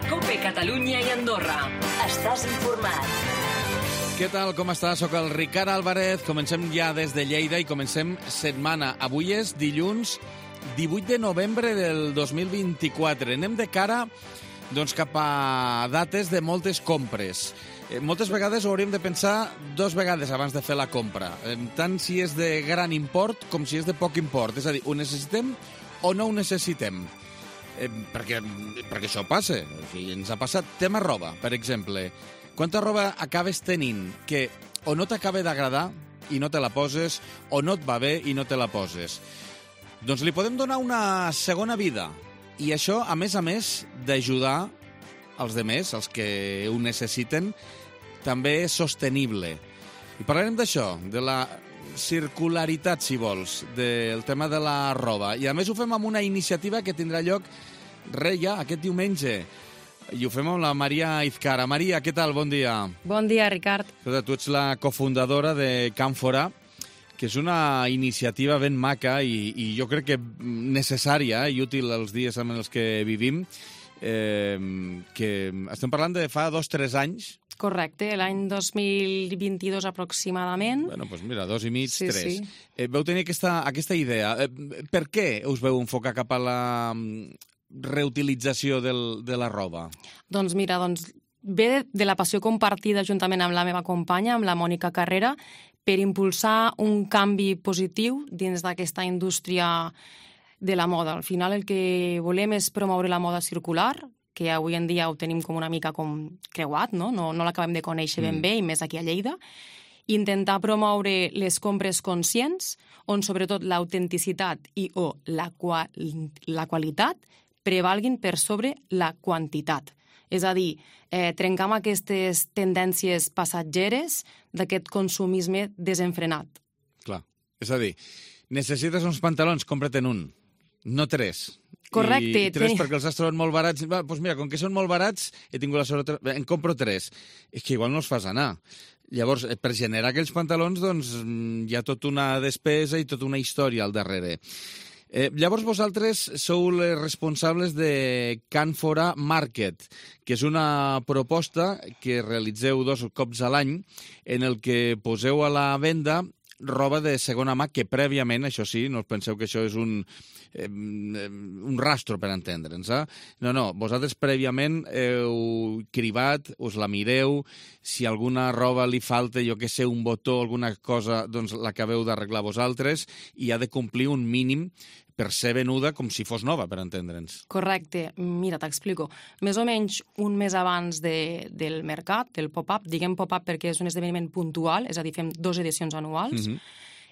COPE Catalunya i Andorra. Estàs informat. Què tal, com estàs? Soc el Ricard Álvarez. Comencem ja des de Lleida i comencem setmana. Avui és dilluns 18 de novembre del 2024. Anem de cara cap a dates de moltes compres. Moltes vegades ho hauríem de pensar dues vegades abans de fer la compra, tant si és de gran import com si és de poc import. És a dir, ho necessitem o no ho necessitem? Perquè això passa. Ens ha passat. Tema roba, per exemple. Quanta roba acabes tenint que o no t'acaba d'agradar i no te la poses, o no et va bé i no te la poses? Doncs li podem donar una segona vida. I això, a més, d'ajudar els demés, els que ho necessiten, també és sostenible. I parlarem d'això, de la circularitat, si vols, del tema de la roba. I a més ho fem amb una iniciativa que tindrà lloc ja aquest diumenge. I ho fem amb la Maria Izcara. Maria, què tal? Bon dia. Bon dia, Ricard. Escolta, tu ets la cofundadora de Càmfora, que és una iniciativa ben maca i jo crec que necessària i útil als dies en els que vivim, que estem parlant de fa 2-3 anys. Correcte, l'any 2022 aproximadament. Bueno, doncs mira, 2 i mig, 3. Sí. Veu tenir aquesta idea. Per què us veu enfocar cap a la reutilització de la roba? Doncs mira, ve de la passió compartida juntament amb la meva companya, amb la Mònica Carrera, per impulsar un canvi positiu dins d'aquesta indústria de la moda. Al final el que volem és promoure la moda circular, que avui en dia ho tenim com una mica com creuat, no l'acabem de conèixer ben bé, i més aquí a Lleida. Intentar promoure les compres conscients, on sobretot l'autenticitat i o la qualitat prevalguin per sobre la quantitat. És a dir, trencar amb aquestes tendències passatgeres d'aquest consumisme desenfrenat. Clar. És a dir, necessites uns pantalons, compra't-en un, no 3. Correcte. I 3 perquè els has trobat molt barats. Doncs mira, com que són molt barats, he tingut la sort, en compro 3. És que igual no els fas anar. Llavors, per generar aquells pantalons, doncs, hi ha tota una despesa i tota una història al darrere. Llavors vosaltres sou les responsables de Càmfora Market, que és una proposta que realitzeu 2 cops a l'any en el que poseu a la venda roba de segona mà que prèviament, això sí, no us penseu que això és un rastro per entendre'ns. No, vosaltres prèviament heu cribat, us la mireu, si alguna roba li falta, jo què sé, un botó, alguna cosa, doncs l'acabeu d'arreglar vosaltres i ha de complir un mínim per ser venuda com si fos nova, per entendre'ns. Correcte. Mira, t'explico. Més o menys un mes abans del mercat, del pop-up, diguem pop-up perquè és un esdeveniment puntual, és a dir, fem 2 edicions anuals,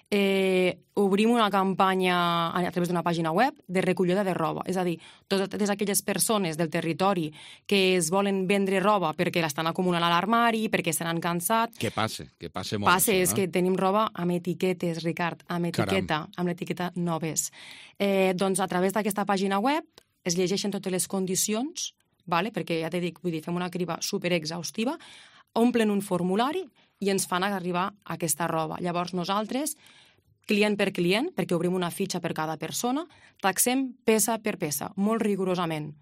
obrim una campanya a través d'una pàgina web de recollida de roba. És a dir, totes aquelles persones del territori que es volen vendre roba perquè l'estan acumulant a l'armari, perquè se n'han cansat... Que passe molt. Passa, és que tenim roba amb etiquetes, Ricard, amb l'etiqueta noves. Doncs a través d'aquesta pàgina web es llegeixen totes les condicions, perquè ja t'he dit, fem una criba superexhaustiva, omplen un formulari i ens fan arribar aquesta roba. Llavors nosaltres, client per client, perquè obrim una fitxa per cada persona, taxem peça per peça, molt rigorosament.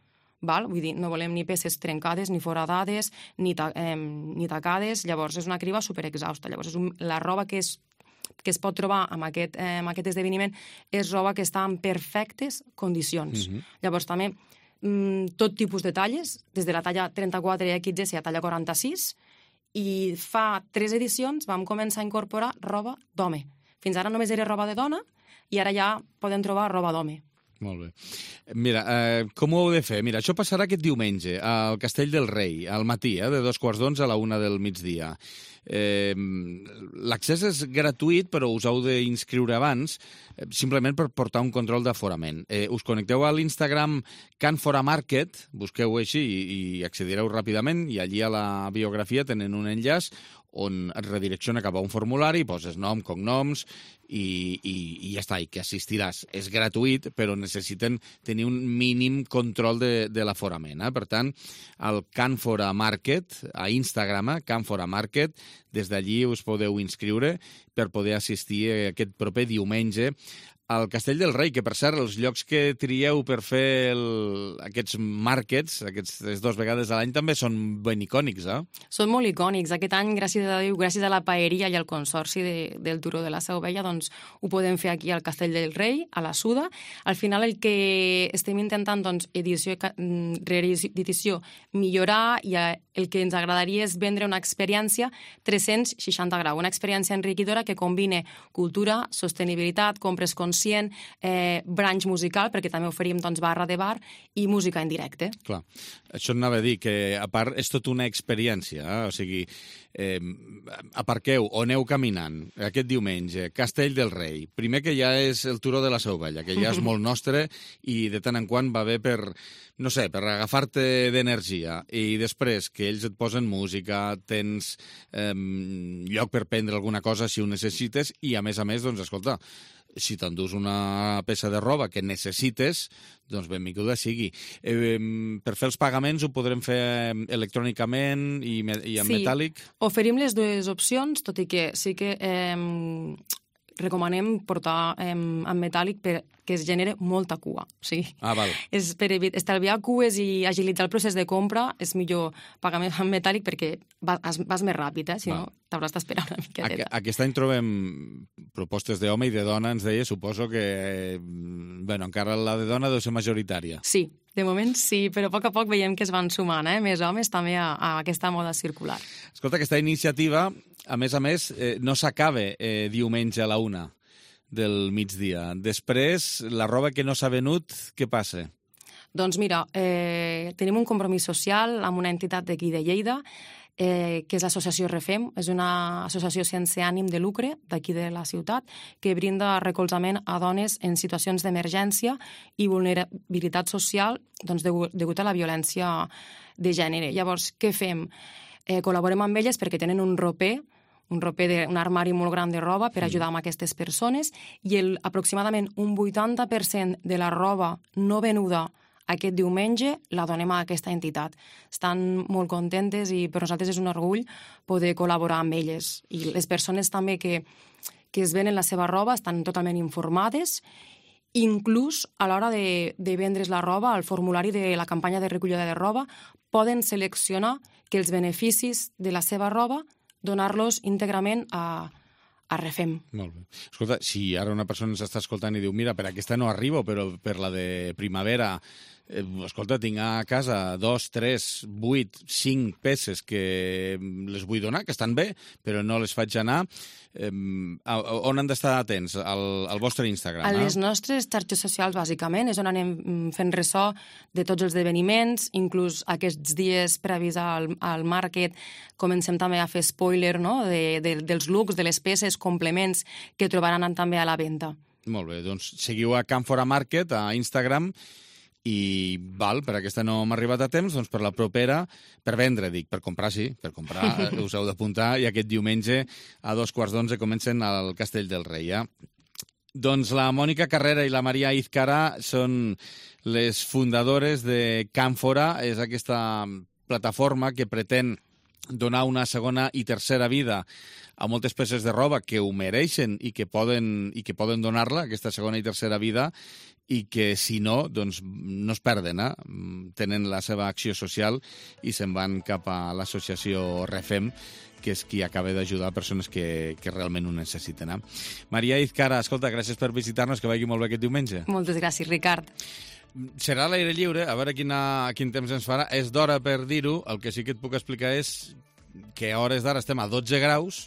Vull dir, no volem ni peces trencades, ni foradades, ni tacades. Llavors és una criba superexhausta. Llavors la roba que es pot trobar en aquest esdeveniment és roba que està en perfectes condicions. Llavors també tot tipus de talles, des de la talla 34 XS a talla 46, i fa 3 edicions vam començar a incorporar roba d'home. Fins ara només era roba de dona i ara ja podem trobar roba d'home. Molt bé. Mira, com ho heu de fer? Mira, això passarà aquest diumenge al Castell del Rei, al matí, de 2:15 a la 1 del migdia. L'accés és gratuït, però us heu d'inscriure abans, simplement per portar un control d'aforament. Us connecteu a l'Instagram Càmfora Market, busqueu així i accedireu ràpidament, i allí a la biografia tenen un enllaç on et redirecciona cap a un formulari, poses nom, cognoms i ja està, i que assistiràs. És gratuït, però necessiten tenir un mínim control de l'aforament. Per tant, el Càmfora Market, a Instagram, Càmfora Market, des d'allí us podeu inscriure per poder assistir aquest proper diumenge al Castell del Rei, que per cert, els llocs que trieu per fer aquests markets, aquestes 2 vegades a l'any, també són ben icònics, eh? Són molt icònics. Aquest any, gràcies a Déu, gràcies a la paeria i al consorci del Turó de la Seu Vella, doncs ho podem fer aquí al Castell del Rei, a la Suda. Al final el que estem intentant, doncs, edició rere edició, millorar, i el que ens agradaria és vendre una experiència 360 graus, una experiència enriquidora que combine cultura, sostenibilitat, compres conscient, branch musical, perquè també oferim doncs, barra de bar, i música en directe. Clar, això anava a dir, que a part és tot una experiència, o sigui, aparqueu o aneu caminant aquest diumenge, Castell del Rei, primer que ja és el Turó de la Seu Vella, que ja és molt nostre i de tant en quant va bé per, no sé, per agafar-te d'energia, i després que ells et posen música, tens lloc per prendre alguna cosa si ho necessites, i a més, doncs, escolta, si t'endús una peça de roba que necessites, doncs benvinguda sigui. Per fer els pagaments ho podrem fer electrònicament i en metàl·lic? Sí, oferim les 2 opcions, tot i que sí que recomanem portar en metàl·lic perquè es genera molta cua. Sí. Val. És per estalviar cues i agilitzar el procés de compra, és millor pagar en metàl·lic perquè vas més ràpid, si no t'hauràs d'esperar una miqueta. Aquest any trobem propostes d'home i de dona, ens deia, suposo que encara la de dona deu ser majoritària. Sí, de moment sí, però a poc veiem que es van sumant més homes també a aquesta moda circular. Escolta, aquesta iniciativa, a més, no s'acaba diumenge a la 1 del migdia. Després, la roba que no s'ha venut, què passa? Doncs mira, tenim un compromís social amb una entitat d'aquí de Lleida, que és l'associació Refem, és una associació sense ànim de lucre d'aquí de la ciutat, que brinda recolzament a dones en situacions d'emergència i vulnerabilitat social, doncs, degut a la violència de gènere. Llavors, què fem? Col·laborem amb elles perquè tenen un roper, un armari molt gran de roba per ajudar amb aquestes persones, i aproximadament un 80% de la roba no venuda aquest diumenge la donem a aquesta entitat. Estan molt contentes i per nosaltres és un orgull poder col·laborar amb elles. I les persones també que es venen la seva roba estan totalment informades, inclús a l'hora de vendre's la roba, al formulari de la campanya de recollida de roba, poden seleccionar que els beneficis de la seva roba donar-los íntegrament a Refem. Molt bé. Escolta, si ara una persona ens està escoltant i diu, mira, per aquesta no arribo, però per la de primavera, escolta, tinc a casa 2, 3, 8, 5 peces que les vull donar, que estan bé, però no les faig anar. On han d'estar atents? Al vostre Instagram? A les nostres xarxes socials, bàsicament, és on anem fent ressò de tots els esdeveniments, inclús aquests dies previs al market comencem també a fer spoiler, no?, dels looks, de les peces, complements que trobaran també a la venda. Molt bé, doncs seguiu a Canfora Market a Instagram. I per aquesta no m'ha arribat a temps, doncs per la propera, per vendre, per comprar sí, per comprar us heu d'apuntar, i aquest diumenge a 2:15 comencen al Castell del Rei. Doncs la Mònica Carrera i la Maria Izcara són les fundadores de Canfora, és aquesta plataforma que pretén donar una segona i tercera vida a moltes peces de roba que ho mereixen i que poden donar-la, aquesta segona i tercera vida, i que, si no, doncs no es perden, tenen la seva acció social i se'n van cap a l'associació Refem, que és qui acaba d'ajudar persones que realment ho necessiten. Maria Izcara, escolta, gràcies per visitar-nos, que vagi molt bé aquest diumenge. Moltes gràcies, Ricard. Serà a l'aire lliure, a veure quin temps ens farà. És d'hora per dir-ho, el que sí que et puc explicar és que a hores d'ara estem a 12 graus,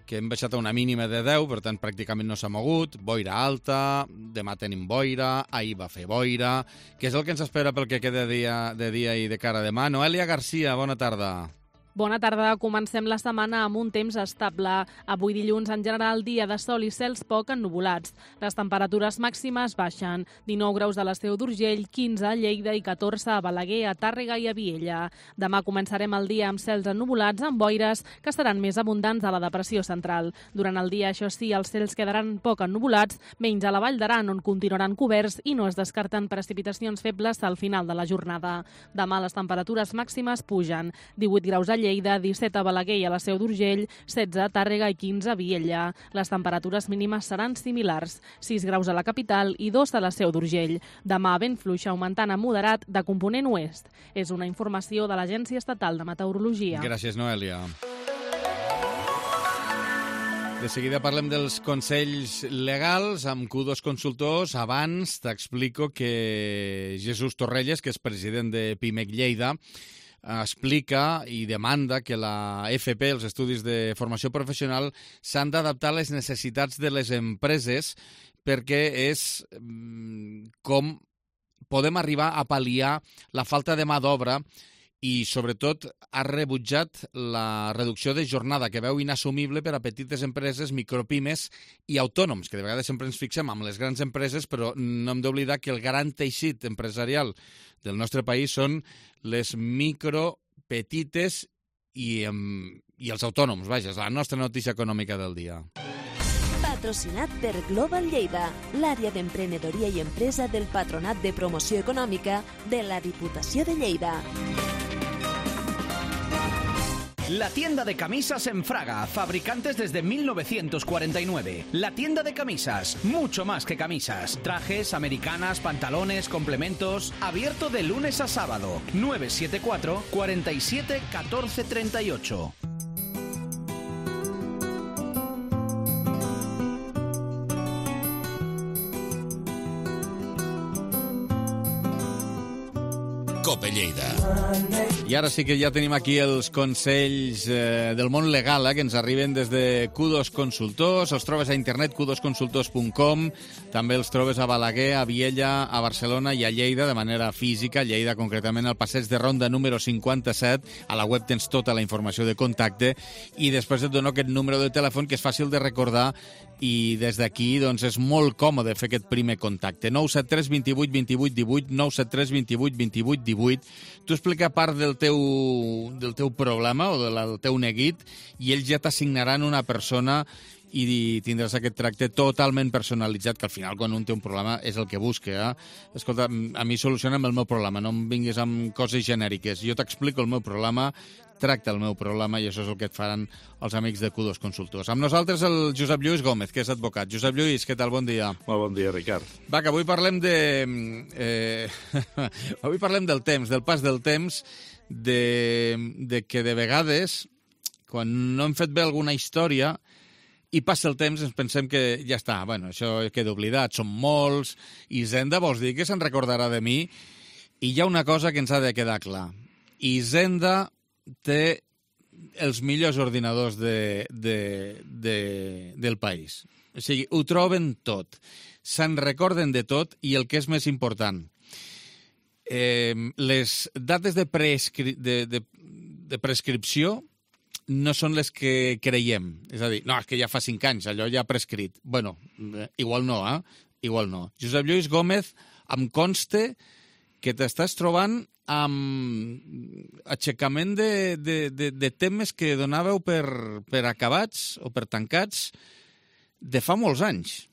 que hem baixat a una mínima de 10, per tant pràcticament no s'ha mogut, boira alta, demà tenim boira, ahir va fer boira. Què és el que ens espera pel que queda de dia i de cara a demà? Noelia Garcia, bona tarda. Bona tarda. Comencem la setmana amb un temps estable. Avui dilluns, en general, dia de sol i cels poc ennuvolats. Les temperatures màximes baixen. 19 graus a l'Esteu d'Urgell, 15 a Lleida i 14 a Balaguer, a Tàrrega i a Viella. Demà començarem el dia amb cels ennuvolats, amb boires que seran més abundants a la depressió central. Durant el dia, això sí, els cels quedaran poc ennuvolats, menys a la Vall d'Aran, on continuaran coberts i no es descarten precipitacions febles al final de la jornada. Demà les temperatures màximes pugen. 18 graus a Lleida, Lleida, 17 a Balaguer i a la Seu d'Urgell, 16 a Tàrrega i 15 a Vielha. Les temperatures mínimes seran similars, 6 graus a la capital i 2 a la Seu d'Urgell. Demà vent fluix augmentant a moderat de component oest. És una informació de l'Agència Estatal de Meteorologia. Gràcies, Noelia. De seguida parlem dels consells legals amb Q2 Consultors. Abans t'explico que Jesús Torrelles, que és president de PIMEC Lleida, explica i demanda que la FP, els estudis de formació professional, s'han d'adaptar a les necessitats de les empreses perquè és com podem arribar a pal·liar la falta de mà d'obra i, sobretot, ha rebutjat la reducció de jornada que veu inassumible per a petites empreses, micropimes i autònoms, que de vegades sempre ens fixem amb les grans empreses, però no hem d'oblidar que el gran teixit empresarial del nostre país són les micro, petites i els autònoms. Vaja, és la nostra notícia econòmica del dia. Patrocinat per Global Lleida, l'àrea d'emprenedoria i empresa del Patronat de Promoció Econòmica de la Diputació de Lleida. La tienda de camisas en Fraga, fabricantes desde 1949. La tienda de camisas, mucho más que camisas. Trajes, americanas, pantalones, complementos. Abierto de lunes a sábado. 974 47 14 38. Cope Lleida. I ara sí que ja tenim aquí els consells del món legal que ens arriben des de Q2 Consultors. Els trobes a internet, q2consultors.com. També els trobes a Balaguer, a Vielha, a Barcelona i a Lleida de manera física. A Lleida, concretament, al passeig de Ronda número 57. A la web tens tota la informació de contacte i després et dono aquest número de telèfon que és fàcil de recordar i des d'aquí doncs, és molt còmode fer aquest primer contacte. 973 28 28 18, 973 28 28 18. Tu explica part del teu problema o del teu neguit i ells ja t'assignaran una persona i tindràs aquest tracte totalment personalitzat, que al final, quan un té un problema, és el que busca. Escolta, a mi soluciona'm el meu problema, no em vinguis amb coses genèriques. Jo t'explico el meu problema, tracta el meu problema i això és el que et faran els amics de Q2 Consultors. Amb nosaltres el Josep Lluís Gómez, que és advocat. Josep Lluís, què tal? Bon dia. Molt bon dia, Ricard. Va, que avui parlem avui parlem del temps, del pas del temps, de que de vegades, quan no hem fet bé alguna història i passa el temps, ens pensem que ja està, bueno, això queda oblidat, som molts, Hisenda vols dir que se'n recordarà de mi? I hi ha una cosa que ens ha de quedar clar. Hisenda té els millors ordinadors del país. O sigui, ho troben tot. Se'n recorden de tot i el que és més important, les dates de prescripció no són les que creiem. És a dir, no, és que ja fa 5 anys, allò ja ha prescrit. Bueno, igual no, Igual no. Josep Lluís Gómez, em consta que t'estàs trobant amb aixecament de temes que donàveu per acabats o per tancats de fa molts anys.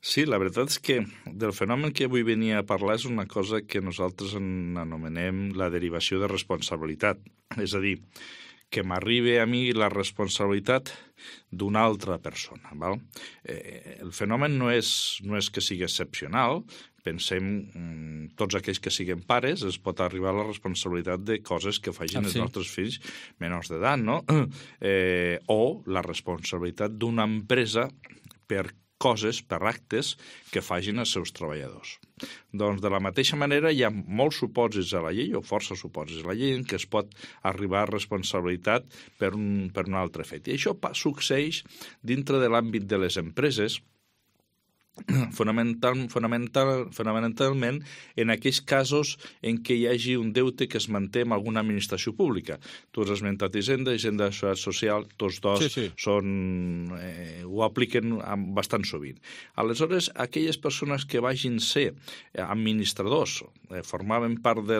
Sí, la veritat és que del fenomen que avui venia a parlar és una cosa que nosaltres anomenem la derivació de responsabilitat. És a dir, que m'arribi a mi la responsabilitat d'una altra persona. Val? El fenomen no és que sigui excepcional. Pensem, tots aquells que siguin pares, es pot arribar a la responsabilitat de coses que facin els nostres fills menors d'edat, no? O la responsabilitat d'una empresa per coses, per actes que facin els seus treballadors. Doncs de la mateixa manera hi ha molts supòsits a la llei, o força supòsits a la llei, en què es pot arribar a responsabilitat per un altre fet. I això succeeix dintre de l'àmbit de les empreses, fonamentalment en aquells casos en què hi hagi un deute que es manté amb alguna administració pública. Tu has esmentat Hisenda de Seguretat Social, tots dos ho apliquen bastant sovint. Aleshores, aquelles persones que vagin ser administradors, formaven part de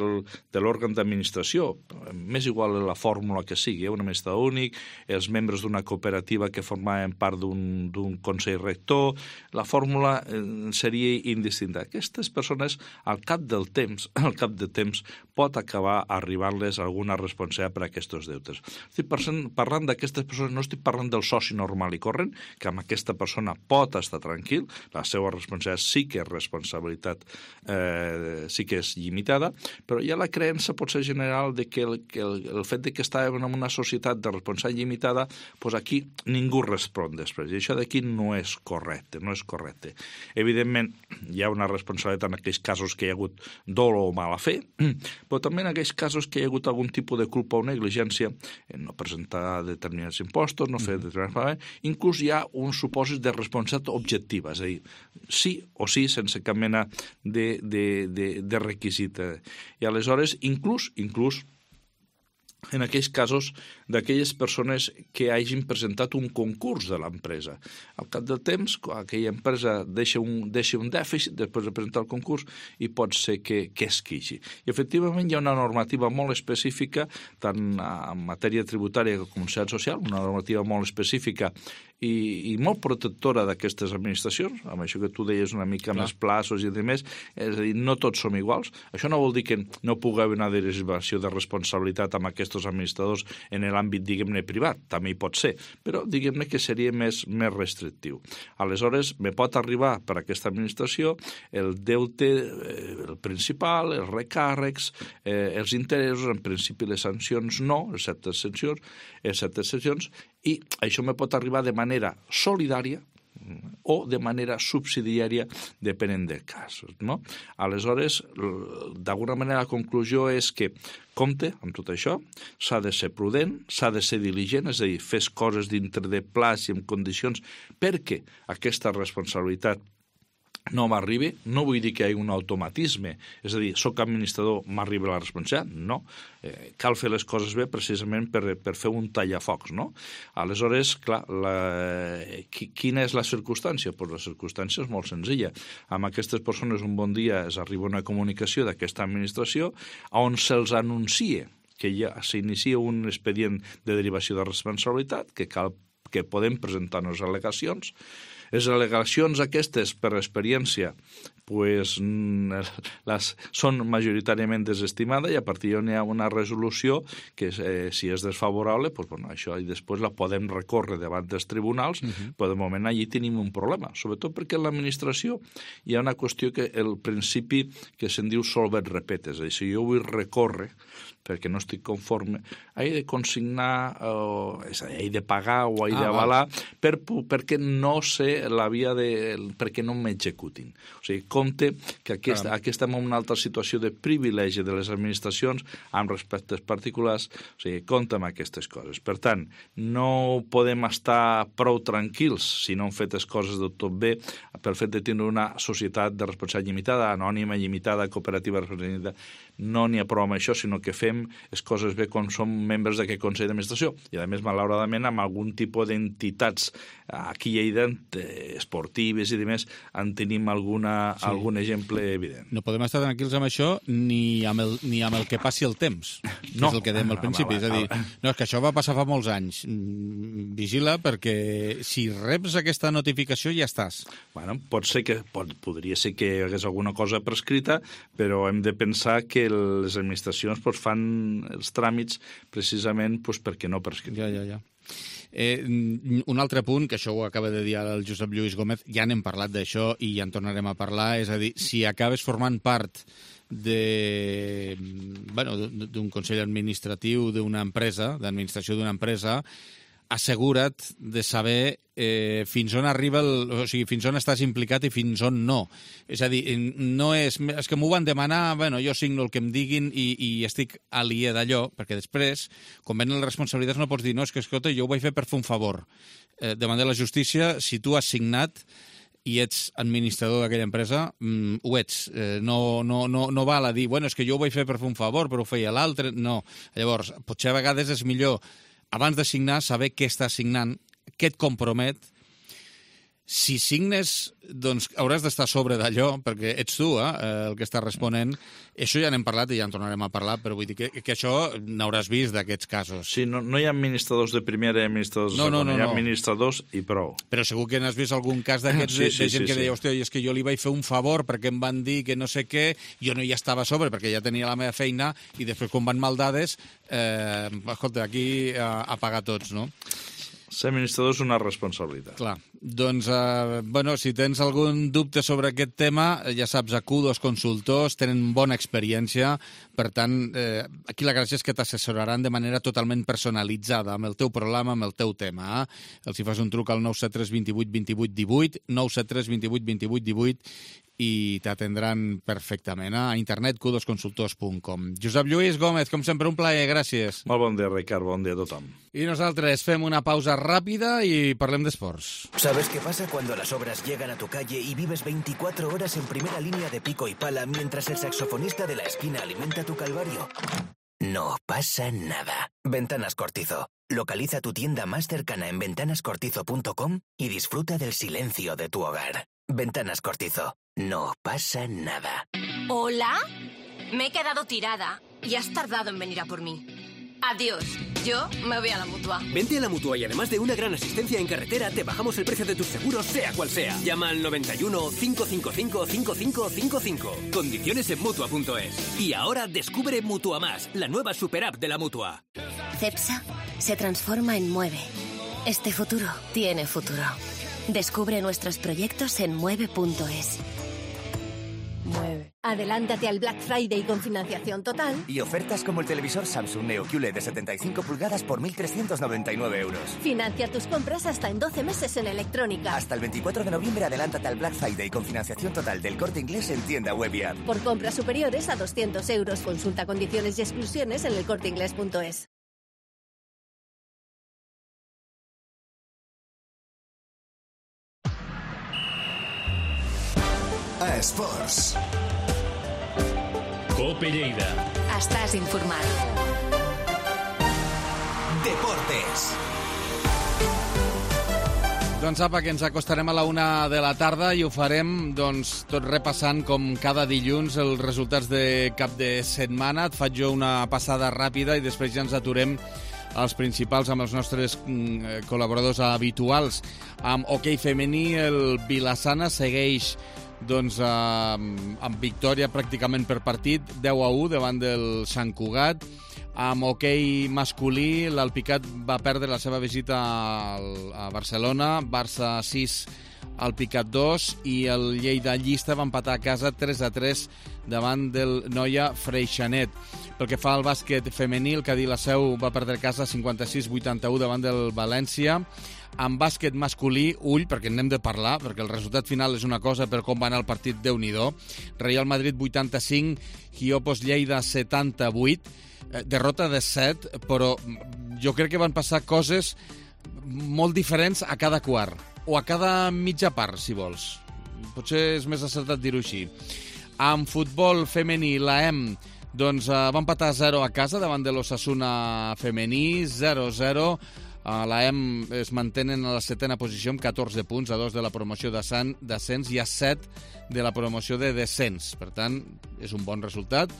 l'òrgan d'administració, m'és igual la fórmula que sigui, un administrador únic, els membres d'una cooperativa que formaven part d'un consell rector, la fórmula fórmula seria indistinta. Aquestes persones, al cap de temps, pot acabar arribar-les alguna responsabilitat per a aquests deutes. Estic parlant d'aquestes persones, no estic parlant del soci normal i corrent, que amb aquesta persona pot estar tranquil, la seva responsabilitat sí que és responsabilitat, sí que és limitada, però hi ha la creença potser general de que el fet de que estàvem en una societat de responsabilitat limitada, doncs aquí ningú respon després. I això d'aquí no és correcte, no és correcte. Evidentment, hi ha una responsabilitat en aquells casos que hi ha hagut dolo o mala fe, però també en aquells casos que hi ha hagut algun tipus de culpa o negligència en no presentar determinats impostos, no fer determinats pagaments, inclús hi ha un supòsit de responsabilitat objectiva, és a dir, sí o sí, sense cap mena de requisit. I aleshores, inclús en aquells casos d'aquelles persones que hagin presentat un concurs de l'empresa. Al cap del temps, aquella empresa deixa un dèficit després de presentar el concurs i pot ser que es queixi. I efectivament hi ha una normativa molt específica, tant en matèria tributària com en societat social, una normativa molt específica i molt protectora d'aquestes administracions, amb això que tu deies una mica més plaços i demés, és a dir, no tots som iguals. Això no vol dir que no pugui haver una derivació de responsabilitat amb aquests administradors en l'àmbit, diguem-ne, privat, també hi pot ser, però diguem-ne que seria més restrictiu. Aleshores, me pot arribar per aquesta administració el deute, el principal, els recàrrecs, els interessos, en principi les sancions no, excepte sancions, i això me pot arribar de manera solidària o de manera subsidiària, depenent del cas. No? Aleshores, d'alguna manera, la conclusió és que compte amb tot això, s'ha de ser prudent, s'ha de ser diligent, és a dir, fes coses dintre de plaç i en condicions perquè aquesta responsabilitat no m'arribi. No vull dir que hi hagi un automatisme, és a dir, soc administrador, m'arriba la responsabilitat, no. Cal fer les coses bé precisament per fer un tallafocs, no? Aleshores, clar, quina és la circumstància? Pues la circumstància és molt senzilla. Amb aquestes persones un bon dia es arriba una comunicació d'aquesta administració on se'ls anuncia que ja s'inicia un expedient de derivació de responsabilitat, que podem presentar-nos al·legacions. Les al·legacions aquestes, per experiència, pues, són majoritàriament desestimades i a partir d'on hi ha una resolució que si és desfavorable, pues, bueno, això i després la podem recórrer davant dels tribunals, però de moment allí tenim un problema, sobretot perquè en l'administració hi ha una qüestió que el principi que se'n diu solvet repete, és a dir, si jo vull recórrer perquè no estic conforme, he de consignar, he de pagar o he d'avalar perquè no sé la via perquè no m'executin. O sigui, compte que aquí estem en una altra situació de privilegi de les administracions amb respectes particulars, o sigui, compte amb aquestes coses. Per tant, no podem estar prou tranquils si no hem fet les coses del tot bé pel fet de tenir una societat de responsabilitat limitada, anònima, limitada, cooperativa de responsabilitat. No n'hi ha prou amb això, sinó que fem les coses bé quan som membres d'aquest Consell d'Administració. I, a més, malauradament, amb algun tipus d'entitats aquí a Lleida, esportives i demés, en tenim algun exemple evident. No podem estar tranquils amb això ni amb el que passi el temps, no. És el que dèiem al principi. És a dir, no, és que això va passar fa molts anys. Vigila, perquè si reps aquesta notificació ja estàs. Bueno, podria ser que hi hagués alguna cosa prescrita, però hem de pensar que les administracions fan els tràmits precisament perquè no prescriuen. Ja. Un altre punt, que això ho acaba de dir el Josep Lluís Gómez, ja n'hem parlat d'això i ja en tornarem a parlar, és a dir, si acabes formant part d'un consell administratiu d'una empresa, d'administració d'una empresa, assegura't de saber fins on arriba, o sigui, fins on estàs implicat i fins on no. És a dir, no és que m'ho van demanar, jo signo el que em diguin i estic aliè d'allò, perquè després, quan venen les responsabilitats, no pots dir, no, és que, escolta, jo ho vaig fer per fer un favor. Davant de la justícia, si tu has signat i ets administrador d'aquella empresa, ho ets. No val a dir, és que jo ho vaig fer per fer un favor, però ho feia l'altre. No. Llavors, potser a vegades és millor abans de signar, saber què estàs signant, què et compromet, si signes, doncs hauràs d'estar a sobre d'allò, perquè ets tu el que està responent. Això ja n'hem parlat i ja en tornarem a parlar, però vull dir que això n'hauràs vist d'aquests casos. Sí, no hi ha administradors de primera i administradors de segona, hi ha administradors i prou. Però segur que n'has vist algun cas d'aquests de gent que deia, hòstia, és que jo li vaig fer un favor perquè em van dir que no sé què, jo no hi estava a sobre perquè ja tenia la meva feina i després quan van mal dades, escolta, aquí a pagar tots, no? Ser administrador és una responsabilitat. Clar. Doncs, si tens algun dubte sobre aquest tema, ja saps, Acudo, els consultors tenen bona experiència, per tant, aquí la gràcia és que t'assessoraran de manera totalment personalitzada amb el teu problema, amb el teu tema. Els hi fas un truc al 973 28 28 18, 973 28 28 18, i t'atendran perfectament a internet, cudosconsultors.com. Josep Lluís Gómez, com sempre, un plaer, gràcies. Molt bon dia, Ricard, bon dia a tothom. I nosaltres fem una pausa ràpida i parlem d'esports. ¿Sabes qué pasa cuando las obras llegan a tu calle y vives 24 horas en primera línea de pico y pala mientras el saxofonista de la esquina alimenta tu calvario? No pasa nada. Ventanas Cortizo. Localiza tu tienda más cercana en ventanascortizo.com y disfruta del silencio de tu hogar. Ventanas Cortizo. No pasa nada. ¿Hola? Me he quedado tirada y has tardado en venir a por mí. Adiós. Yo me voy a la Mutua. Vente a la Mutua y además de una gran asistencia en carretera, te bajamos el precio de tus seguros, sea cual sea. Llama al 91 555 5555. Condiciones en Mutua.es. Y ahora descubre Mutua Más, la nueva superapp de la Mutua. Cepsa se transforma en Mueve. Este futuro tiene futuro. Descubre nuestros proyectos en mueve.es. Mueve. Adelántate al Black Friday con financiación total. Y ofertas como el televisor Samsung Neo QLED de 75 pulgadas por 1.399 euros. Financia tus compras hasta en 12 meses en electrónica. Hasta el 24 de noviembre adelántate al Black Friday con financiación total del Corte Inglés en tienda web y app. Por compras superiores a 200 euros. Consulta condiciones y exclusiones en elcorteinglés.es. A Esports. Cope Lleida. Estàs informat. Deportes. Doncs apa, que ens acostarem a la 1 de la tarda i ho farem tot repassant com cada dilluns els resultats de cap de setmana. Et faig jo una passada ràpida i després ja ens aturem als principals amb els nostres col·laboradors habituals. Amb hoquei femení, el Vilassana segueix amb victòria pràcticament per partit, 10-1 davant del Sant Cugat. Amb hoquei masculí, l'Alpicat va perdre la seva visita a Barcelona, Barça 6, Alpicat 2, i el Lleida Llista va empatar a casa 3-3 davant del Noia Freixenet. Pel que fa al bàsquet femení, el Cadí la Seu va perdre a casa 56-81 davant del València. En bàsquet masculí, ull, perquè n'hem de parlar, perquè el resultat final és una cosa, però com va anar el partit, Déu-n'hi-do. Real Madrid 85, Hiopos Lleida 78, derrota de 7, però jo crec que van passar coses molt diferents a cada quart, o a cada mitja part, si vols. Potser és més acertat dir-ho així. En futbol femení, l'AEM va empatar 0 a casa davant de l'Osasuna femení, 0-0. L'AEM es mantenen a la 7a posició amb 14 punts, a 2 de la promoció d'ascens i a 7 de la promoció de descens. Per tant, és un bon resultat.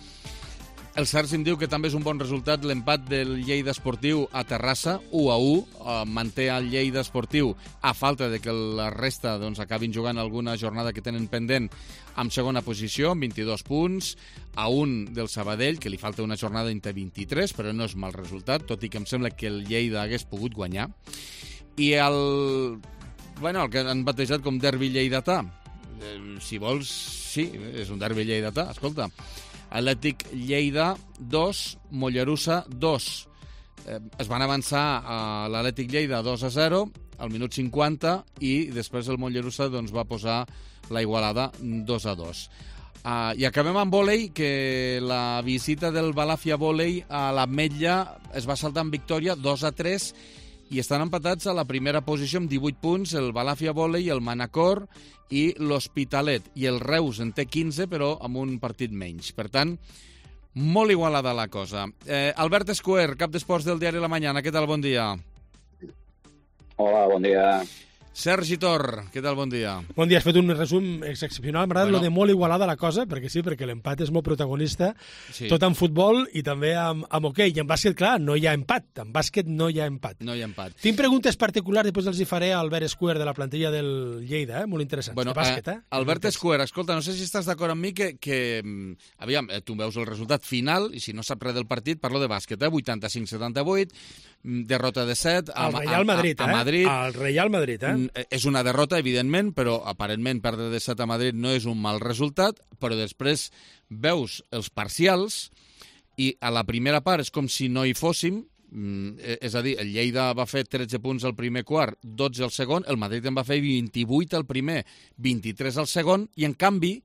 El Cerci em diu que també és un bon resultat l'empat del Lleida Esportiu a Terrassa, 1-1. Manté el Lleida Esportiu a falta de que la resta acabin jugant alguna jornada que tenen pendent amb segona posició, amb 22 punts, a 1 del Sabadell, que li falta una jornada entre 23, però no és mal resultat, tot i que em sembla que el Lleida hagués pogut guanyar. I el que han batejat com derbi lleidatà. Si vols, sí, és un derbi lleidatà, escolta. Atlètic Lleida 2, Mollerussa 2. Es van avançar a l'Atlètic Lleida 2-0 al minut 50 i després el Mollerussa va posar la igualada 2-2. I acabem amb vòlei, que la visita del Balàfia Vòlei a l'Ametlla es va saltar amb victòria 2-3 i estan empatats a la primera posició amb 18 punts el Balàfia Vòlei, el Manacor i l'Hospitalet. I el Reus en té 15, però amb un partit menys. Per tant, molt igualada la cosa. Albert Escuer, cap d'esports del diari La Mañana. Què tal? Bon dia. Hola, bon dia. Sergi Tor, què tal? Bon dia. Bon dia, has fet un resum excepcional. M'agrada lo de molt igualada la cosa, perquè sí, perquè l'empat és molt protagonista, tot en futbol i també amb hoquei. I en bàsquet, clar, no hi ha empat. En bàsquet no hi ha empat. No hi ha empat. Tinc preguntes particulars, després els hi faré a Albert Square de la plantilla del Lleida, molt interessants, de bàsquet. Albert Square, escolta, no sé si estàs d'acord amb mi que aviam, tu veus el resultat final, i si no saps res del partit, parlo de bàsquet, 85-78, derrota de 7 al Real Madrid, a Madrid. Al Real Madrid, És una derrota, evidentment, però aparentment perdre de 7 a Madrid no és un mal resultat, però després veus els parcials i a la primera part és com si no hi fóssim, és a dir, el Lleida va fer 13 punts al primer quart, 12 al segon, el Madrid en va fer 28 al primer, 23 al segon, i en canvi,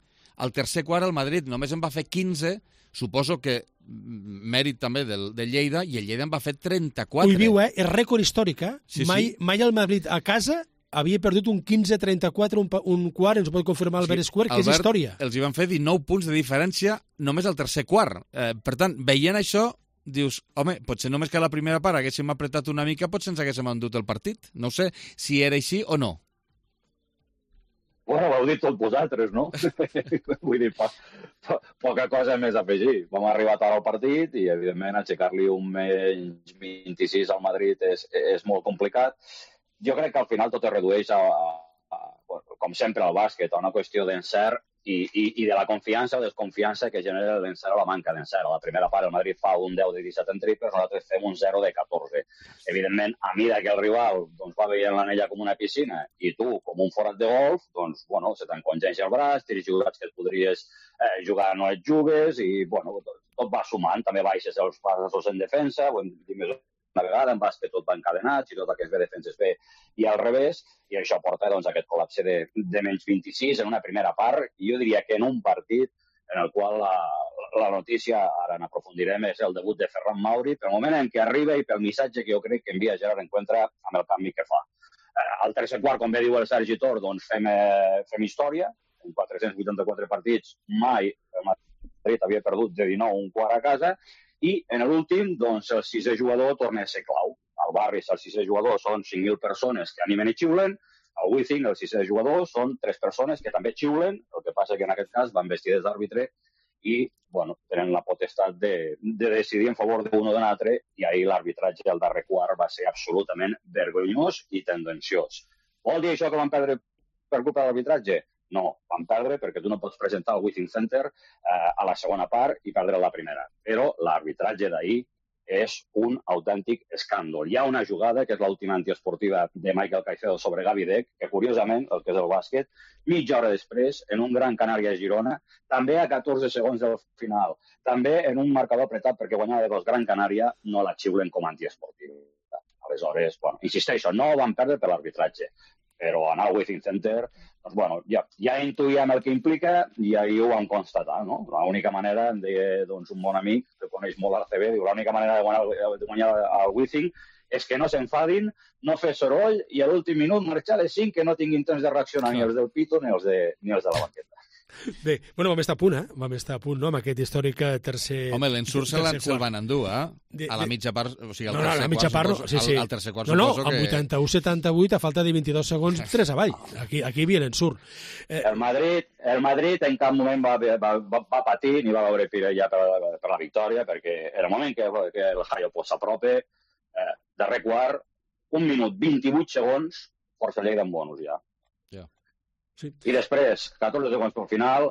al tercer quart el Madrid només en va fer 15, suposo que mèrit també del Lleida, i el Lleida en va fer 34. Ho viu, és rècord històric, Sí, mai el Madrid a casa havia perdut un 15-34, un quart, ens ho pot confirmar Albert Square, que és història. Els hi van fer 19 punts de diferència només al tercer quart. Per tant, veient això, dius, home, potser només que a la primera part haguéssim apretat una mica, potser ens haguéssim endut el partit. No sé si era així o no. Bueno, ho heu dit tots vosaltres, no? Vull dir, poca cosa més a afegir. Vam arribar tard al partit i, evidentment, aixecar-li un menys 26 al Madrid és molt complicat. Jo crec que al final tot es redueix com sempre al bàsquet, a una qüestió d'encert i de la confiança o desconfiança que genera l'encert o la manca d'encert. A la primera part el Madrid fa un 10 de 17 en triples, nosaltres fem un 0 de 14. Evidentment, a mida que el rival va veient l'anella com una piscina i tu com un forat de golf, doncs, bueno, se t'encongeix el braç, tens jugats que et podries jugar, no et jugues, i, bueno, tot va sumant. També baixes els passos en defensa, ho hem dit més una vegada, en bàsquet tot va encadenat, i tot el que es ve defenses bé i al revés, i això porta doncs, aquest col·lapse de menys 26 en una primera part, i jo diria que en un partit en el qual la notícia, ara n'aprofundirem, és el debut de Ferran Mauri, pel moment en què arriba i pel missatge que jo crec que envia Gerard Encuentra amb el canvi que fa. Al tercer quart, com bé diu el Sergi Tor, doncs fem història, en 484 partits mai el Madrid havia perdut de 19 un quart a casa, i en l'últim, doncs, el sisè jugador torna a ser clau. Al barri, el sisè jugador són 5.000 persones que animen i xiulen, al Wizzing, el sisè jugador, són 3 persones que també xiulen, el que passa que en aquest cas van vestides d'àrbitre i, bueno, tenen la potestat de decidir en favor d'un o de l'altre, i ahir l'arbitratge del darrer quart va ser absolutament vergonyós i tendenciós. Vol dir això que van perdre per culpa de l'arbitratge? No, van perdre perquè tu no pots presentar el Wizzing Center a la segona part i perdre la primera. Però l'arbitratge d'ahir és un autèntic escàndol. Hi ha una jugada, que és l'última antiesportiva de Michael Caicedo sobre Gavi Deck, que curiosament, el que és el bàsquet, mitja hora després, en un Gran Canària Girona, també a 14 segons del final, també en un marcador apretat perquè guanyava de 2 Gran Canària, no la xiulen com a antiesportiva. Aleshores, bueno, insisteixo, no van perdre per l'arbitratge, però anar al Wizzing Center, doncs, bueno, ja intuïem el que implica i ahir ho vam constatar, no? L'única manera, em deia doncs, un bon amic que coneix molt l'ACB, diu, l'única manera de guanyar al Wizzing és que no s'enfadin, no fer soroll i a l'últim minut marxar les 5 que no tinguin temps de reaccionar ni els del pito ni els de la banqueta. Bé, bueno, vam estar a punt, no?, amb aquest històric tercer... Home, l'ensurt se'l van endur, a la mitja part, o sigui, al tercer quart, no, amb 81-78, a falta de 22 segons, 3 avall. Aquí hi havia l'ensurt. El Madrid en cap moment va patir ni va veure ja per la victòria, perquè en el moment que el Jaio s'apropa, darrer quart, 1 minut 28 segons, força Lleida en bonus ja. Sí. I després, 14 segons pel final,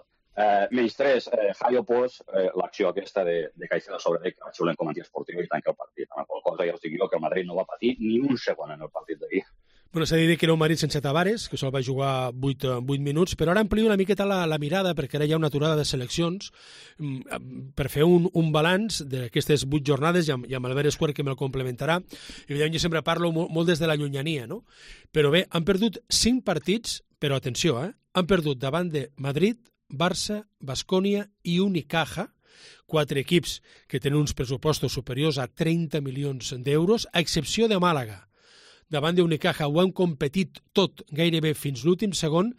menys 3, Jaio Pos, l'acció aquesta de Caicedo sobre Deck, que va xiulen com a antiesportiu i tanca el partit. Amb la qual cosa ja us dic jo que el Madrid no va patir ni un segon en el partit d'ahir. Bueno, s'ha de dir que era un Madrid sense Tavares, que sol va jugar 8 minuts, però ara amplio una miqueta la mirada, perquè ara hi ha una aturada de seleccions, per fer un balanç d'aquestes 8 jornades, i amb Albert Square, que me'l complementarà. Evidentment, jo sempre parlo molt des de la llunyania, no? Però bé, han perdut 5 partits, però atenció, han perdut davant de Madrid, Barça, Baskonia i Unicaja, 4 equips que tenen uns pressupostos superiors a 30 milions d'euros, a excepció de Màlaga. davant d'Unicaja. Ho han competit tot gairebé fins l'últim segon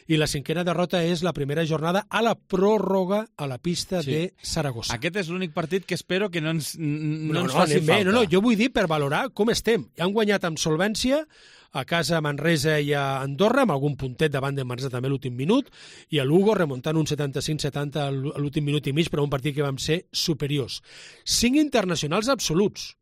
i la cinquena derrota és la primera jornada a la pròrroga a la pista de Saragossa. Aquest és l'únic partit que espero que no ens faci falta. No, jo vull dir per valorar com estem. Han guanyat amb solvència a casa a Manresa i a Andorra, amb algun puntet davant de Manresa també l'últim minut, i a Lugo remuntant un 75-70 a l'últim minut i mig, però un partit que vam ser superiors. 5 internacionals absoluts.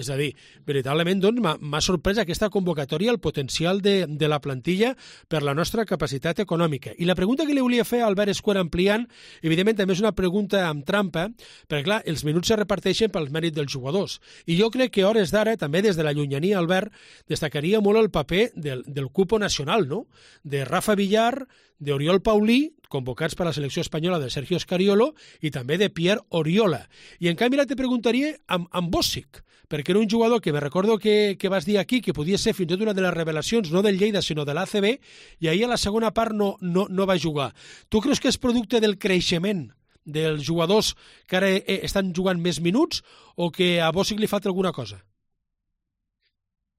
És a dir, veritablement doncs, m'ha sorprès aquesta convocatòria, el potencial de la plantilla per la nostra capacitat econòmica. I la pregunta que li volia fer a Albert Escuera ampliant, evidentment també és una pregunta amb trampa, perquè clar, els minuts se reparteixen pels mèrits dels jugadors. I jo crec que a hores d'ara, també des de la llunyania, Albert, destacaria molt el paper del cupo nacional, no? De Rafa Villar, d'Oriol Paulí, convocats per la selecció espanyola de Sergio Scariolo, i també de Pierre Oriola. I en canvi ara te preguntaria amb Bòsic, perquè era un jugador que me recordo que vas dir aquí que podia ser fins i tot una de les revelacions, no del Lleida, sinó de l'ACB, i ahir a la segona part no va jugar. Tu creus que és producte del creixement dels jugadors que ara estan jugant més minuts o que a Bòsic li falta alguna cosa?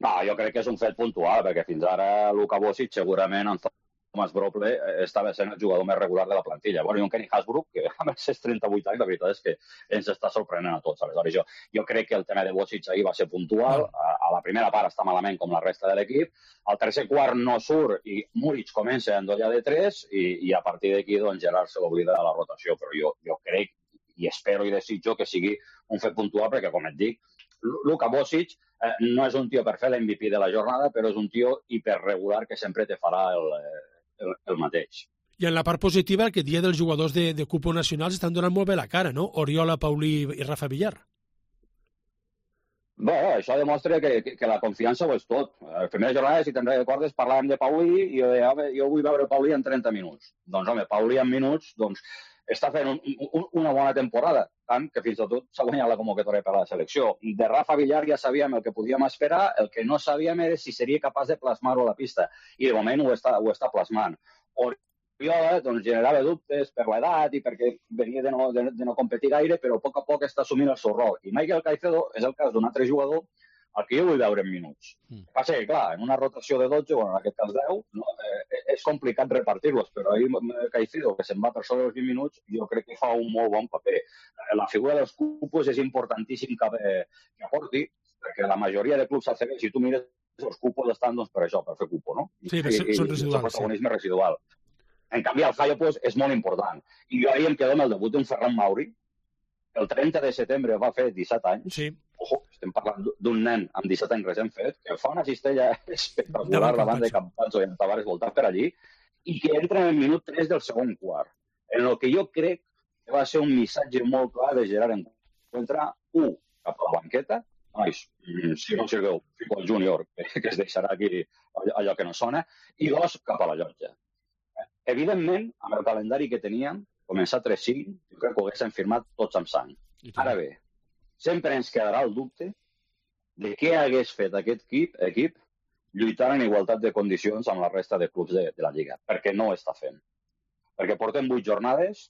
No, jo crec que és un fet puntual, perquè fins ara Luka Bòsic segurament en Thomas Broble estava sent el jugador més regular de la plantilla. Bueno, i un Kenny Hasbrook, que amb els 38 anys, la veritat és que ens està sorprenent a tots. Aleshores, jo crec que el tema de Bòsic ahir va ser puntual. A la primera part està malament com la resta de l'equip. Al tercer quart no surt i Múric comença a endollar de 3 i a partir d'aquí doncs, Gerard se l'oblida de la rotació. Però jo crec i espero i desitjo que sigui un fet puntual perquè, com et dic, Luka Bòsic no és un tio per fer l'MVP de la jornada, però és un tio hiperregular que sempre te farà el mateix. I en la part positiva, aquest dia dels jugadors de cupo nacionals estan donant molt bé la cara, no? Oriola, Paulí i Rafa Villar. Bé, això demostra que la confiança ho és tot. A la primera jornada, si te'n recordes, parlàvem de Paulí i jo deia, jo vull veure Paulí en 30 minuts. Doncs, home, Paulí en minuts, doncs, està fent una bona temporada, tant que fins i tot s'ha guanyat la convocatòria per a la selecció. De Rafa Villar ja sabíem el que podíem esperar, el que no sabíem era si seria capaç de plasmar-ho a la pista, i de moment ho està plasmant. Oriola doncs, generava dubtes per l'edat i perquè venia de no competir gaire, però a poc a poc està assumint el seu rol. I Michael Caicedo és el cas d'un altre jugador el que jo vull veure en minuts. Passa que, clar, en una rotació de 12, bueno, en aquest cas 10, no, és complicat repartir-los, però ahir Caicedo, que se'n va per sobre els 20 minuts, jo crec que fa un molt bon paper. La figura dels cupos és importantíssim que aporti, perquè la majoria de clubs ACB, si tu mires, els cupos estan doncs, per això, per fer cupo, no? Sí, són residuals. El protagonisme residual. En canvi, el Hayo pues, és molt important. I jo ahir em quedo amb el debut d'un Ferran Mauri. El 30 de setembre va fer 17 anys. Sí. Ojo, estem parlant d'un nen amb 17 anys recent fet, que fa una cistella espectacular davant de Campazzo i en Tavares voltant per allí, i que entra en el minut 3 del segon quart. En el que jo crec que va ser un missatge molt clar de Gerard Encuentra, 1, cap a la banqueta, nois, si no sigueu, fico el júnior, que es deixarà aquí allò que no sona, i 2, cap a la llotja. Evidentment, amb el calendari que teníem, començar 3-5, jo crec que ho haguéssim firmat tots amb sang. Ara bé, sempre ens quedarà el dubte de què hagués fet aquest equip lluitant en igualtat de condicions amb la resta de clubs de la Lliga, perquè no ho està fent. Perquè portem 8 jornades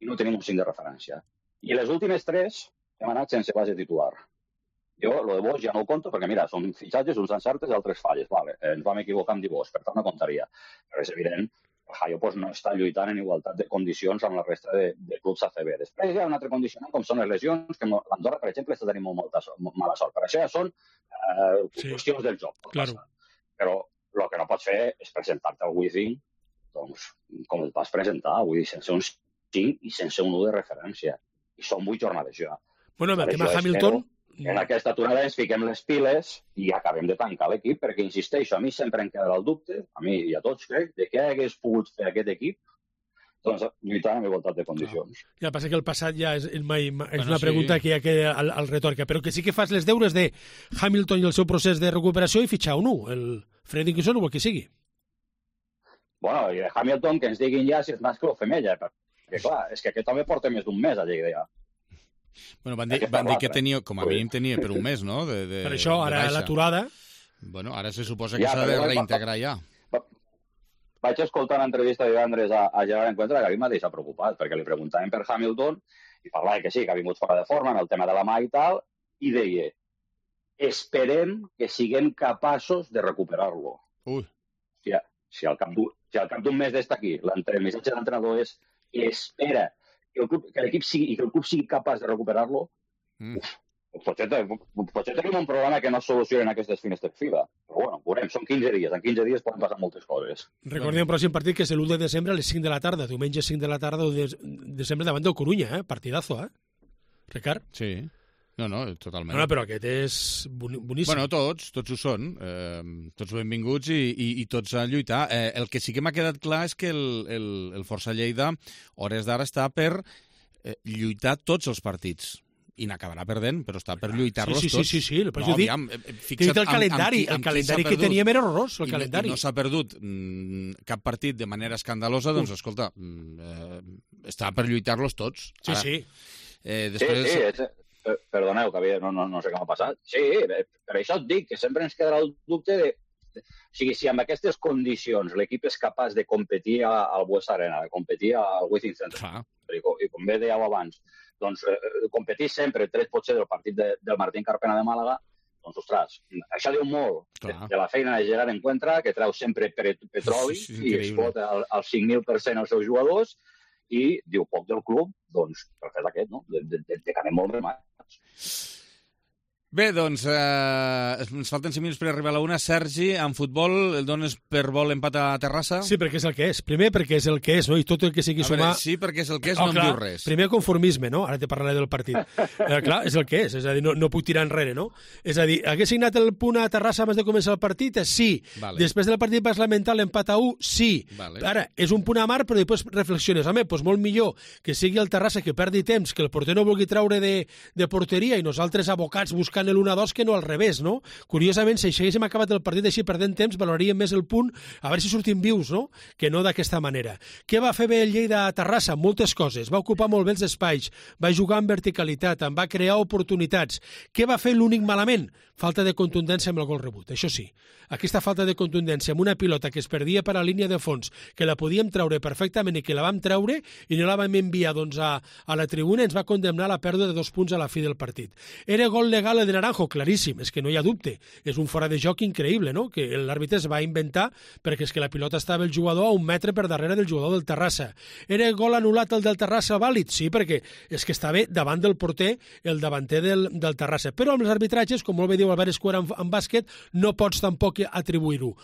i no tenim un 5 de referència. I les últimes 3 hem anat sense base titular. Jo, lo de Bosch ja no ho conto, perquè mira, són fitxatges, uns encertes i altres falles. Vale, ens vam equivocar amb Bosch, per tant no comptaria. Però és evident que el Hayo pues, no està lluitant en igualtat de condicions amb la resta de clubs ACB. Després hi ha un altre condicionant, com són les lesions, que l'Andorra, per exemple, està tenint molt mala sort. Per això ja són qüestions del joc. Claro. Però el que no pots fer és presentar-te al Wizzing doncs, com et vas presentar, vull dir, sense un 5 i sense un 1 de referència. I són 8 jornades ja. Bueno, amb el tema Hamilton... En aquesta aturada ens fiquem les piles i acabem de tancar l'equip, perquè, insisteixo, a mi sempre em quedarà el dubte, a mi i a tots crec, de què hagués pogut fer aquest equip doncs, lluitant amb igualtat de condicions. Ja passa que el passat ja és una pregunta que hi ha al retòrica, però que sí que fas les deures de Hamilton i el seu procés de recuperació i fitxar un 1, el Fredrickson o el que sigui. Bueno, i de Hamilton que ens diguin ja si és mascle o femella, perquè clar, és que aquest home porta més d'un mes a Lleida ja. Bueno, van dir que tenia, com a mínim tenia per un mes, no? Per això, ara l'aturada... Bueno, ara se suposa que s'ha de reintegrar ja. Vaig escoltar una entrevista de divendres a Gerard Encuentra que a mi m'ha deixat preocupat, perquè li preguntaven per Hamilton i parlava que sí, que ha vingut fora de forma en el tema de la mà i tal, i deia, esperem que siguem capaços de recuperar-lo. Si al cap d'un mes d'estar aquí, el missatge de l'entrenador és espera que l'equip sigui i que el club sigui capaç de recuperar-lo, potser tenim un problema que no es soluciona en aquestes finestres FIBA. Però bueno, veurem, són 15 dies. En 15 dies poden passar moltes coses. Recordem el pròxim partit, que és l'1 de desembre a les 5 de la tarda, diumenge 5 de la tarda, 1 de desembre davant del Corunya, partidazo, Ricard? Sí. No, totalment. No, però aquest és boníssim. Bueno, tots ho són. Tots benvinguts i tots a lluitar. El que sí que m'ha quedat clar és que el Força Lleida, hores d'ara, està per lluitar tots els partits. I n'acabarà perdent, però està per lluitar-los tots. Sí, el calendari. El calendari que teníem era horrorós, el calendari. I no s'ha perdut cap partit de manera escandalosa, doncs, escolta, està per lluitar-los tots. Sí. Després... Perdoneu, que no sé què m'ha passat. Sí, per això et dic que sempre ens quedarà el dubte de... O sigui, si amb aquestes condicions l'equip és capaç de competir al Bues Arena, de competir al Wizzing Center, i com bé dèieu abans, doncs competir sempre, tret potser del partit del Martín Carpena de Màlaga, doncs, ostres, això diu molt de la feina de Gerard Encuentra, que treu sempre petroli i explota al 5.000% els seus jugadors, i diu poc del club, doncs, per fer aquest, no? De que anem molt remats. Bé, doncs, ens falten 5 minuts per arribar a la 1. Sergi, en futbol, el dones per vol empat a Terrassa? Sí, perquè és el que és. Primer, perquè és el que és, no? I tot el que sigui sumar... Sí, perquè és el que és, no em diu res. Primer, conformisme, no? Ara te parlaré del partit. Clar, és el que és a dir, no puc tirar enrere, no? És a dir, hagués signat el punt a Terrassa abans de començar el partit? Sí. Vale. Després del partit vas lamentar l'empat a 1? Sí. Vale. Ara, és un punt amar, però després reflexiones. Home, doncs molt millor que sigui el Terrassa que perdi temps, que el porter no vulgui treure de porteria i nosaltres abocats buscant l'1-2 que no al revés, no? Curiosament, si haguéssim acabat el partit així perdent temps, valoraríem més el punt, a veure si sortim vius, no? Que no d'aquesta manera. Què va fer bé el Lleida a Terrassa? Moltes coses. Va ocupar molt bé els espais, va jugar amb verticalitat, en va crear oportunitats. Què va fer l'únic malament? Falta de contundència amb el gol rebut, això sí. Aquesta falta de contundència amb una pilota que es perdia per a la línia de fons, que la podíem treure perfectament i que la vam treure i no la vam enviar doncs, a la tribuna, ens va condemnar a la pèrdua de 2 punts a la fi del partit. Era gol legal el de Naranjo? Claríssim, és que no hi ha dubte. És un fora de joc increïble, no? Que l'àrbitre es va inventar perquè és que la pilota estava el jugador a 1 metre per darrere del jugador del Terrassa. Era gol anul·lat el del Terrassa vàlid? Sí, perquè és que estava davant del porter el davanter del Terrassa. Però amb els arbitratges, com molt bé diu Albert Escuera en bàsquet, no pots tampoc atribuir-ho.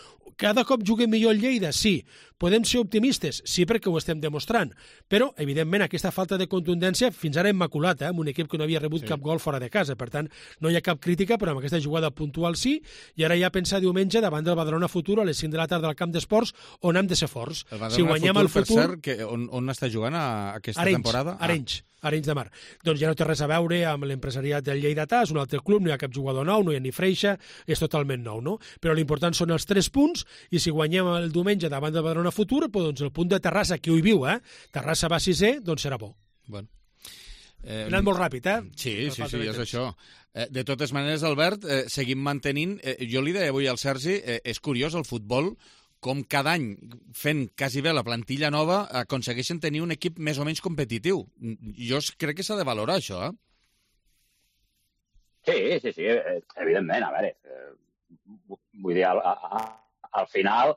Cada cop juguem millor el Lleida? Sí. Podem ser optimistes? Sí, perquè ho estem demostrant. Però, evidentment, aquesta falta de contundència fins ara immaculat, amb un equip que no havia rebut cap gol fora de casa. Per tant, no hi ha cap crítica, però amb aquesta jugada puntual sí, i ara ja pensar diumenge davant del Badalona Futur a les 5 de la tarda al camp d'esports, on hem de ser forts. Si guanyem el Futur... Per cert, on està jugant aquesta temporada? Arenys de Mar. Doncs ja no té res a veure amb l'empresariat del Lleidatà, és un altre club, no hi ha cap jugador nou, no hi ha ni Freixa, és totalment nou, no? Però l'important són els 3 punts, i si guanyem el diumenge davant del Badalona Futur, doncs el punt de Terrassa, que ho hi viu, Terrassa va 6è, doncs serà bo. Bueno. Hem anat molt ràpid, Sí, és això. De totes maneres, Albert, seguim mantenint... Jo li deia avui al Sergi, és curiós el futbol, com cada any, fent quasi bé la plantilla nova, aconsegueixen tenir un equip més o menys competitiu. Jo crec que s'ha de valorar, això, Sí, evidentment, a veure, vull dir, al final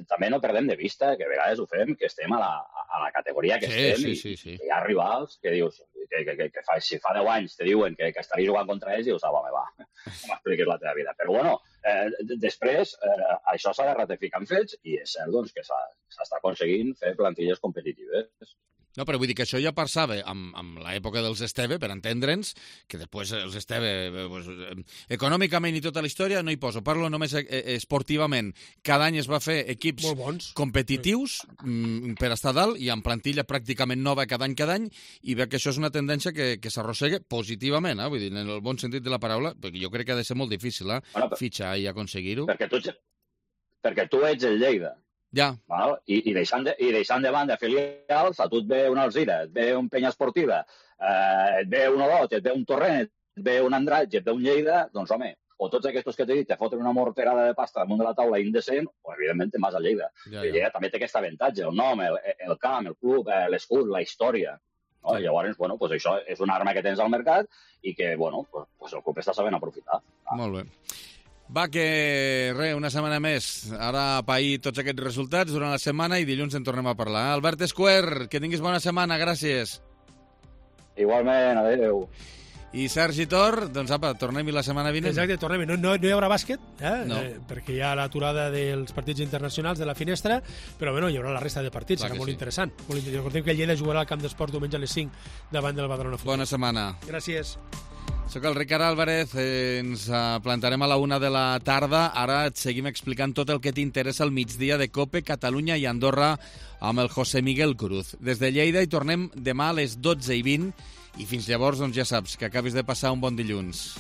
també no perdem de vista que a vegades ho fem, que estem a la categoria que estem i hi ha rivals que dius que si fa 10 anys te diuen que estaria jugant contra ells i dius, home, va, no m'expliquis la teva vida. Però bueno, després això s'ha de ratificar en fets i és cert doncs, que s'està aconseguint fer plantilles competitives. No, però vull dir que això ja passava amb l'època dels Esteve, per entendre'ns, que després els Esteve, econòmicament i tota la història, no hi poso. Parlo només esportivament. Cada any es va fer equips competitius per estar dalt i amb plantilla pràcticament nova cada any, i veig que això és una tendència que s'arrossega positivament, vull dir, en el bon sentit de la paraula, perquè jo crec que ha de ser molt difícil fitxar i aconseguir-ho. Perquè tu ets el Lleida. Ja. I deixant de banda filials, a tu et ve una Alzira, et ve un Penya Esportiva, et ve un Olot, et ve un Torrent, et ve un Andratx, et ve un Lleida, doncs home, o tots aquests que t'he dit te foten una morterada de pasta damunt de la taula indecent, o evidentment te'n vas a Lleida. Lleida també té aquest avantatge, el nom, el camp, el club, l'escut, la història. No? I llavors, bueno, pues això és una arma que tens al mercat i que, bueno, pues el club està sabent aprofitar. Molt bé. Va, que una setmana més. Ara a pair tots aquests resultats durant la setmana i dilluns en tornem a parlar. Albert Esquer, que tinguis bona setmana, gràcies. Igualment, adéu. I Sergi Tor, doncs apa, tornem-hi la setmana vinent. Exacte, tornem-hi. No hi haurà bàsquet, no. Perquè hi ha l'aturada dels partits internacionals de la finestra, però bueno, hi haurà la resta de partits, serà molt interessant. Recordem que el Lleida jugarà al Camp d'Esports diumenge a les 5 davant del Badalona Futbol. Bona setmana. Gràcies. Soc el Ricard Álvarez, ens plantarem a la 1 de la tarda. Ara et seguim explicant tot el que t'interessa al migdia de COPE, Catalunya i Andorra amb el José Miguel Cruz. Des de Lleida hi tornem demà a les 12:20 i fins llavors, doncs ja saps, que acabis de passar un bon dilluns.